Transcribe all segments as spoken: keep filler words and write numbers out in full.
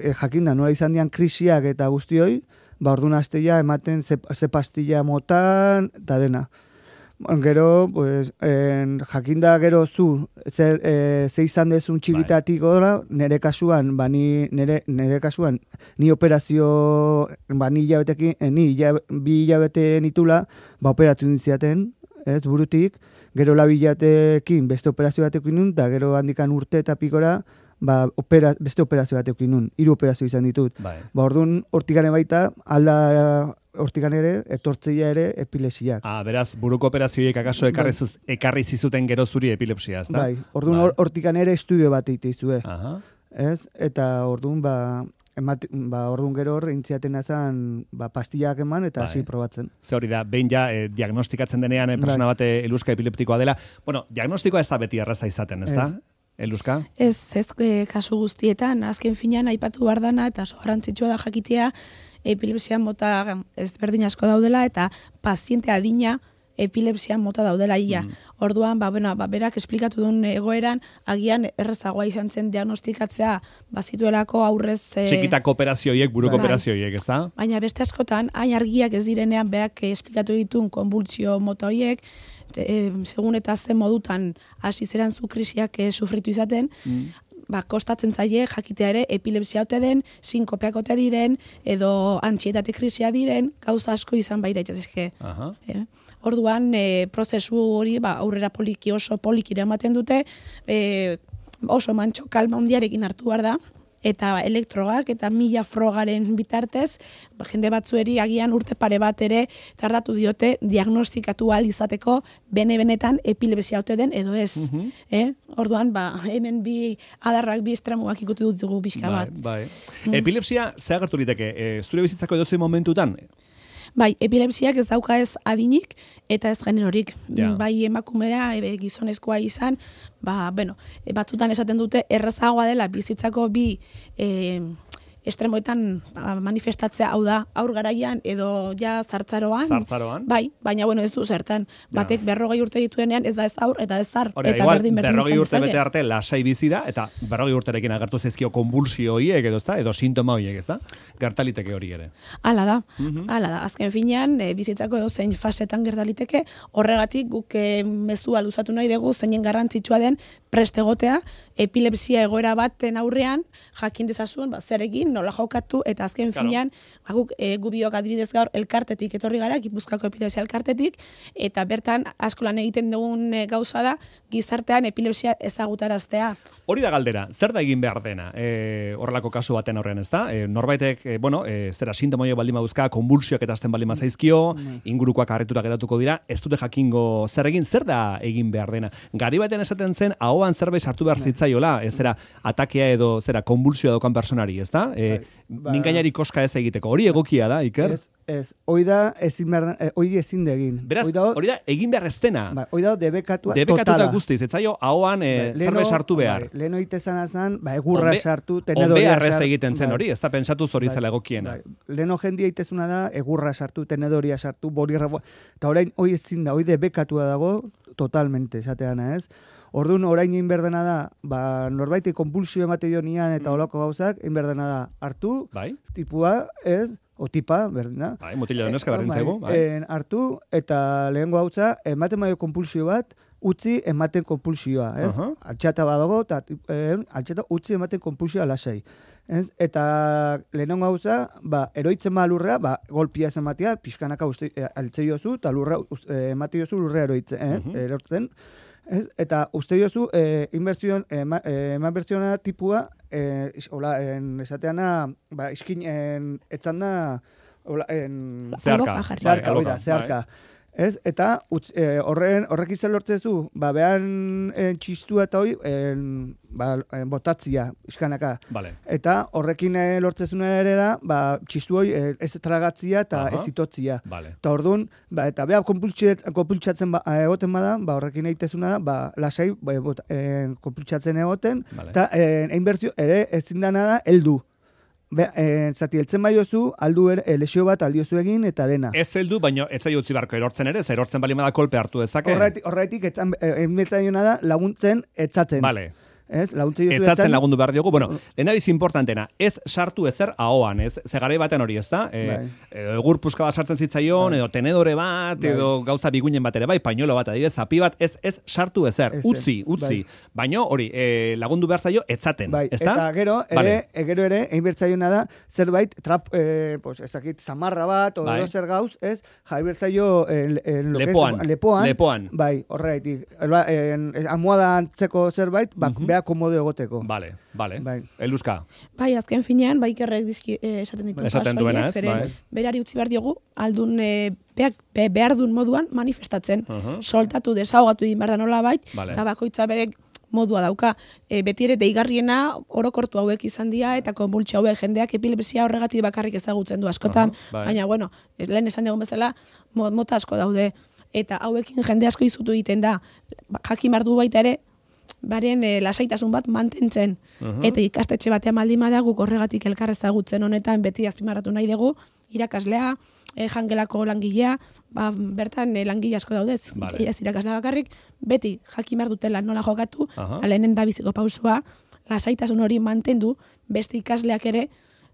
e, jakinda nola izan dian krisiak eta guztioi, ba orduan astea ematen ze, ze pastilla motan, eta dena. Gero, pues, en, jakinda gero zu, zer, e, ze izan dezun txikitatik gora, nire kasuan, ba, ni, nire, nire kasuan, ni operazio, ba, ni hilabetekin, eh, ni hilab, bi hilabete nitula, ba, operatu nindziaten, ez, burutik, gero labilatekin beste operazio batekin nun, eta gero handikan urte eta pikora, ba, opera, beste operazio batekin nun, hiru operazio izan ditut. Bai. Ba, orduan, hortikane baita, alda hortikan ere, etortzeia ere epilepsiak. Ah, beraz, buruko operazioiek akaso ekarri, zuz, ekarri zizuten gero zuri epilepsia, ezta? Bai, orduan hortikan ere estudio bat egiteizue. Aha. Ez? Eta orduan, ba, emat, ba, orduan gero hor, intziaten azan, ba, pastillak eman eta hasi probatzen. Ze hori da, behin ja, eh, diagnostikatzen denean, eh, persona bate eluska epileptikoa dela. Bueno, diagnostikoa ez da beti erraza izaten, ezta? Eluska? Ez, ez e, kasu guztietan, azken finean aipatu bardana eta oso garrantzitsua da jakitea epilepsia mota ezberdin asko daudela eta paziente adina epilepsia mota daudela ia. Mm. Orduan, ba, bueno, ba, berak esplikatu duen egoeran, agian errezagoa izan zen diagnostikatzea bazituelako aurrez... E, Txikitako operazioiek, buruko bai. Operazioiek, ez da? Baina beste askotan, hain argiak ez direnean berak esplikatu ditun konbultsio mota horiek, e, segun eta zen modutan hasi zeran zu krisiak e, sufritu izaten, mm. ba, kostatzen zaie jakitea ere epilepsia ote den, sinkopeak ote diren, edo antsietate krisia diren, gauza asko izan baita itxazizke. Aha. E, orduan, e, prozesu hori ba, aurrera poliki oso polikira ematen dute, e, oso mantxo kalma handiarekin hartu behar da, eta elektrogak eta mila frogaren bitartez, ba, jende batzueri agian urte pare bat ere tardatu diote diagnostikatu ahal izateko bene-benetan epilepsia ote den edo ez. Mm-hmm. eh? Orduan, ba, hemen bi adarrak, bi estremuak ikutu dut dugu bizka bat. Bai, bai. Mm. Epilepsia, ze agertu liteke, e, zure bizitzako edozein momentutan? Bai, epilepsiak ez dauka ez adinik eta ez generorik. Ja. Bai emakumea, e, gizonezkoa izan, ba, bueno, e, batzutan esaten dute errazagoa dela bizitzako bi e, estremoetan manifestatzea, hau da, aur garaian edo ja zartzaroan. Zartzaroan. Bai, baina bueno, ez du zertan. Batek berrogei urte dituenean ez da ez aur eta ez zar. Hora, eta igual, berdin berdin berrogei urte zaile. bete arte lasai bizi da, eta berrogei urterekin agertu zezkio konbulsio horiek edo, ezta? Edo sintoma horiek, ezta? Gertaliteke hori ere. Hala da, Mhm. hala da. Azken finean, e, bizitzako edo zein fasetan gertaliteke, horregatik guk e, mezua luzatu nahi dugu zeinen garrantzitsua den prest egotea, epilepsia egoera baten aurrean, jakin dezazun, ba, zer egin, nola jokatu, eta azken Claro. finean, ba, guk e, gubiok adibidez gaur elkartetik etorri gara, Gipuzkoako epilepsia elkartetik, eta bertan asko lan egiten dugun e, gauza da, gizartean epilepsia ezagutaraztea. Hori da galdera, zer da egin behar dena e, horrelako kasu baten aurrean, ezta? E, norbaitek, e, bueno, e, zera sintomoiek baldin baduzka, konbulsioak eta azten baldin bazaizkio, ingurukoak harrituta geratuko dira, ez dute jakingo zer egin, zer da egin behar dena. Gari baten esaten zen, ahoan zerbait sartu behar zitzaiola, ez zera, atakea edo, zera, konbulsioa daukan personari, ezta? E, Ba- mingainari koska ez egiteko, hori egokia da, Iker? Ez, ez, hoi da ezin behar, eh, hoi ezin de egin. Beraz, Hoi da, hori da, egin behar ez dena. ba, hoi da debekatua Debekatuta totala. guztiz, ez zaio, ahoan e, Bai, zerbait sartu behar. Bai, lehen oitezan azan, ba, egurra Onbe- sartu, Onbe tenedoria arrez sartu. egiten zen bai. hori, ez da pentsatu zori Bai, zela egokiena. Bai. Lehen jendia itezuna da, egurra sartu, tenedoria sartu, borirra, eta orain hoi ezin da, hoi debekatua dago, totalmente, esateana ez. Orduan, orain egin behar dena da, ba, norbaiti konpulsio emate dio nian eta olako gauzak, egin behar dena da, hartu, Bai? tipua, ez, o tipa, berdin da. Bai, mutila da neska Eh, berdin bai, zaigu, bai. en, hartu, eta lehengo gautza, ematen baio konpulsio bat, utzi ematen konpulsioa, ez? Aha. Altxata badago, eta eh, altxata utzi ematen konpulsioa lasai. Ez? Eta lehenengo gauza, ba, eroitzen ba lurrea, ba, golpia ez ematea, pixkanaka uste, e, altze jozu, eta lurra, e, emate jozu lurrea eroitzen, eh? Mhm. erortzen. Ez? Eta uste jozu, e, inbertsioan, ema, e, eman bertsiona tipua, e, is, hola, en, esateana, ba, iskin, en, etzan da, hola, en, Zeharka. Alboka jarri. zeharka, Bai, hori da, alboka, zeharka. Ez? Eta utz, e, horren, horrek izan lortzezu, ba, behan en, txistua eta hoi, en, ba, en, botatzia, iskanaka. Vale. Eta horrekin e, lortzezuna ere da, ba, txistu hoi e, ez tragatzia eta Aha. ez itotzia. Vale. Eta orduan, ba, eta beha konpultsatzen ba, egoten bada, ba, horrekin egitezuna da, ba, lasai, ba, bot, e, konpultsatzen egoten, Vale. eta e, einbertzio ere ezin dana da, heldu. Be, e, zati, heltzen baiozu, aldu er, e, lesio bat aldiozu egin eta dena. Ez heldu, baina ez zaio utzi beharko erortzen ere, ze erortzen bali bada kolpe hartu dezake. Horretik, horretik etzan, e, da laguntzen etzaten. Vale. Ez, laguntze jozu etzatzen lagundu behar diogu. Bueno, lehen abiz importantena, ez sartu ezer ahoan, ez? Ze garai batean hori, ez da? E, edo egur puska bat sartzen zitzaion, edo tenedore bat, edo gauza biguinen bat ere bai, pañuelo bat, adibidez, zapi bat, ez ez sartu ezer, utzi, utzi. Baina hori, e, lagundu behar zaio etzaten, ez da? Eta gero, ere, gero ere, egin bertzaiona da, zerbait, trap, eh, pues, ezakit, zamarra bat, o bai. Zer gauz, ez, jai bertzaio en, en lepoan, es, lepoan, lepoan. Bai, horreitik, almohada antzeko zerbait, bak, uh -huh. beha komodo egoteko. Vale, vale. Bai. Eluska. Bai, azken finean, bai kerrek dizki eh, esaten ditu. Esaten duena, ez? Bai. Berari utzi behar diogu, aldun eh, beak, be, behar duen moduan manifestatzen. Uh -huh. Soltatu, desahogatu egin behar da nola bait, vale. Eta bakoitza berek modua dauka. E, beti ere deigarriena orokortu hauek izan dira eta konbultsio hauek jendeak epilepsia horregatik bakarrik ezagutzen du askotan. Uh -huh, bai. Baina, bueno, lehen esan dugun bezala, mota asko daude. Eta hauekin jende asko izutu egiten da. Jakin behar du baita ere, baren e, lasaitasun bat mantentzen. Uh-huh. Eta ikastetxe batean baldin bada guk horregatik elkar ezagutzen honetan beti azpimarratu nahi dugu, irakaslea, e, jangelako langilea, ba, bertan e, langile asko daudez, vale. Ez irakaslea bakarrik, beti jakin behar dutela nola jokatu, uh-huh. Lehenen da biziko pausua, lasaitasun hori mantendu, beste ikasleak ere,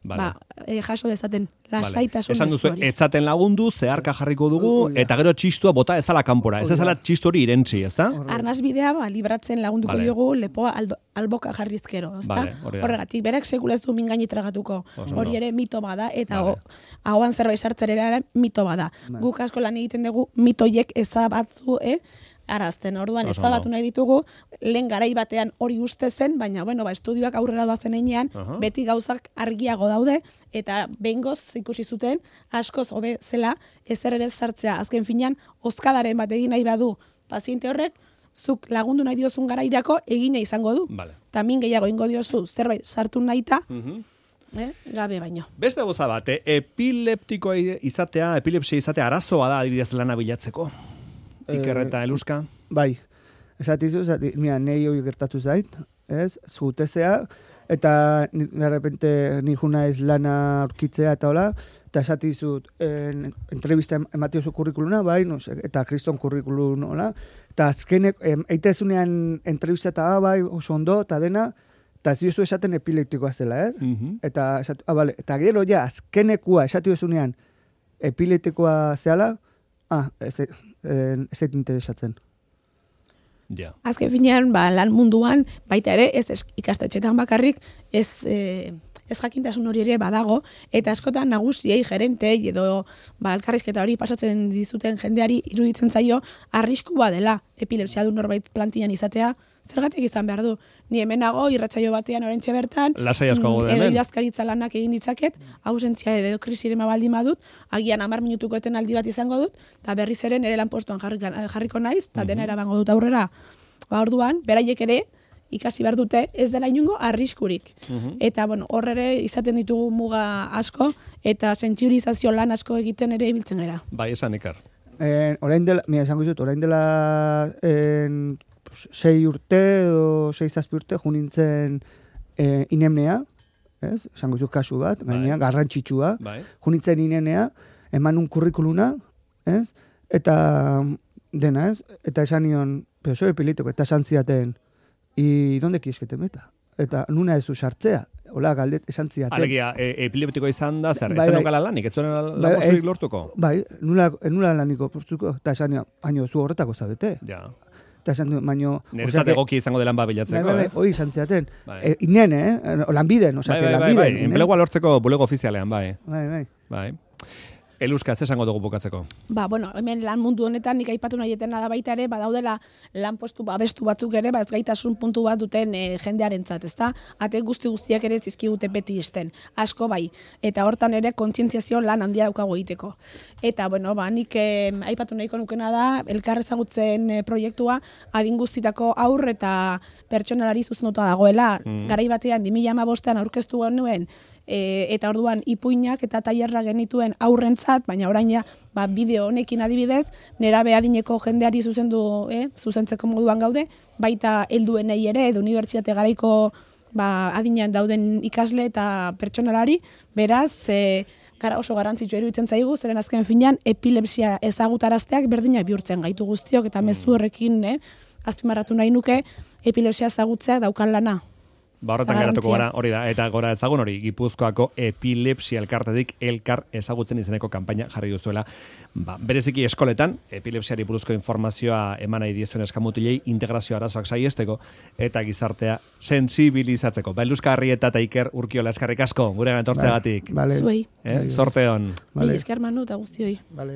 vale. Ba, e, jaso dezaten lasaitasun vale. Esan duzu, etzaten lagundu, zeharka jarriko dugu, uh, eta gero txistua bota ezala kanpora, ez ezala txistu hori irentzi, ez da? Arnaz bidea, ba, libratzen lagunduko vale. Diogu lepoa aldo, alboka jarrizkero, ez da? Vale, horregatik, berak sekulez du mingaini tragatuko, hori ere mito bada, eta vale. Ahoan zerbait sartzerera mito bada. Vale. Guk asko lan egiten dugu, mitoiek ezabatzu, eh? Arazten, orduan, ez da batu nahi ditugu, lehen garai batean hori uste zen, baina, bueno, ba, estudioak aurrera doazen einean, uh-huh. Beti gauzak argiago daude, eta behingoz ikusi zuten, askoz hobe zela, ezer ere sartzea. Azken finean, oskadaren bat egin nahi badu paziente horrek, zuk lagundu nahi diozun garairako egina izango du. Vale. Tamin gehiago ingo diozu, zerbait sartu nahita, uh-huh. eh, gabe baino. Beste goza bat, eh? Epileptikoa izatea, epilepsia izatea arazoa da adibidez lana bilatzeko. Iker eta Eluska? Bai, esatizu, esatizu, mira, nahi hori gertatu zait, ez, zutezea, eta de repente ni juna ez lana aurkitzea eta hola, eta esatizut, en, entrevista ematiozu kurrikuluna, bai, no sé, eta kriston kurrikulun, hola, eta azkenek, eitezunean entrevista eta bai, oso ondo, eta dena, eta ziozu esaten epileptikoa zela, ez? Uh-huh. Eta, esatu, ah, vale, eta gero ja, azkenekua esatiozunean epileptikoa zehala, ah, ez ez interesatzen. Ja. Azken finean, ba, lan munduan, baita ere, ez ikastetxetan bakarrik, ez, e, ez jakintasun hori ere badago, eta askotan nagusiei, gerentei, edo ba, elkarrizketa hori pasatzen dizuten jendeari iruditzen zaio, arriskua dela epilepsia du norbait plantian izatea, zergatik izan behar du. Ni hemenago, irratsaio batean orentxe bertan, lasai asko gaude hemen. Edo idazkaritza lanak egin ditzaket, ausentzia edo krisirema baldin badut, agian hamar minutuko etenaldi bat izango dut, eta berriz ere nire lanpostuan jarriko naiz, eta dena erabango dut aurrera. Ba, orduan, beraiek ere, ikasi behar dute, ez dela inungo arriskurik. Uh-huh. Eta, bueno, hor ere izaten ditugu muga asko, eta sentsibilizazio lan asko egiten ere ibiltzen gara. Bai, esan Iker. Eh, orain dela, mira, esango dut, orain dela en, pues, sei urte edo sei zazpi urte junintzen eh, inemnea, ez? Esango dut kasu bat, gaina, bai. Garrantzitsua, bai. Junintzen inemnea, eman un kurrikuluna, ez? Eta dena, ez? Eta esan nion, pero soy epiléptico, eta esan ziaten, I donde quieres que te meta? Eta nuna ez du sartzea, hola galdet esan ziaten. Alegia, e, epileptikoa izan da, zer, bai, etzen okala lanik, etzen lanposturik lortuko? Bai, nula, nula laniko postuko, eta esan nion, baino zu horretako zabete. Ja. Eta esan nion, baino... Neretzat egoki izango delan babilatzeko, bai, bai, ez? Hoi izan ziaten. Bai. E, inen, eh? Lanbiden, oza, bai, bai, lanbiden. Bai, bai, enplegua lortzeko bulego ofizialean, bai. Bai, bai. Bai. Eluska, ez esango dugu bukatzeko? Ba, bueno, hemen lan mundu honetan nik aipatu nahi etena da baita ere, badaudela lanpostu babestu batzuk ere, ba ez gaitasun puntu bat duten e, jendearentzat, ezta? Ate guzti guztiak ere zizkigute beti isten. Asko bai. Eta hortan ere kontzientziazio lan handia daukago egiteko. Eta bueno, ba nik eh, aipatu nahiko nukena da elkar ezagutzen eh, proiektua adin guztitako aur eta pertsonalari zuzenduta dagoela. Mm. Garai batean bi mila hamabostean aurkeztu genuen E, eta orduan ipuinak eta tailerra genituen aurrentzat, baina orain ja, ba, bideo honekin adibidez, nerabe adineko jendeari zuzendu, eh, zuzentzeko moduan gaude, baita helduenei ere, edo unibertsitate garaiko ba, adinean dauden ikasle eta pertsonalari, beraz, e, gara oso garrantzitsua iruditzen zaigu, zeren azken finean epilepsia ezagutarazteak berdina bihurtzen gaitu guztiok, eta mezu horrekin, eh, azpimarratu nahi nuke, epilepsia ezagutzea daukan lana. Ba, horretan geratuko gara, hori da, eta gora ezagun hori, Gipuzkoako epilepsia elkartetik elkar ezagutzen izeneko kanpaina jarri duzuela. Ba, bereziki eskoletan, epilepsiari buruzko informazioa eman nahi diezuen eskamutilei integrazio arazoak saiesteko eta gizartea sensibilizatzeko. Ba, Eluzka Arrieta eta Iker Urkiola eskarrik asko, gure etortzeagatik. Vale. Zuei. Eh? Sorte on. Vale. Esker Manu eta guztioi. Vale.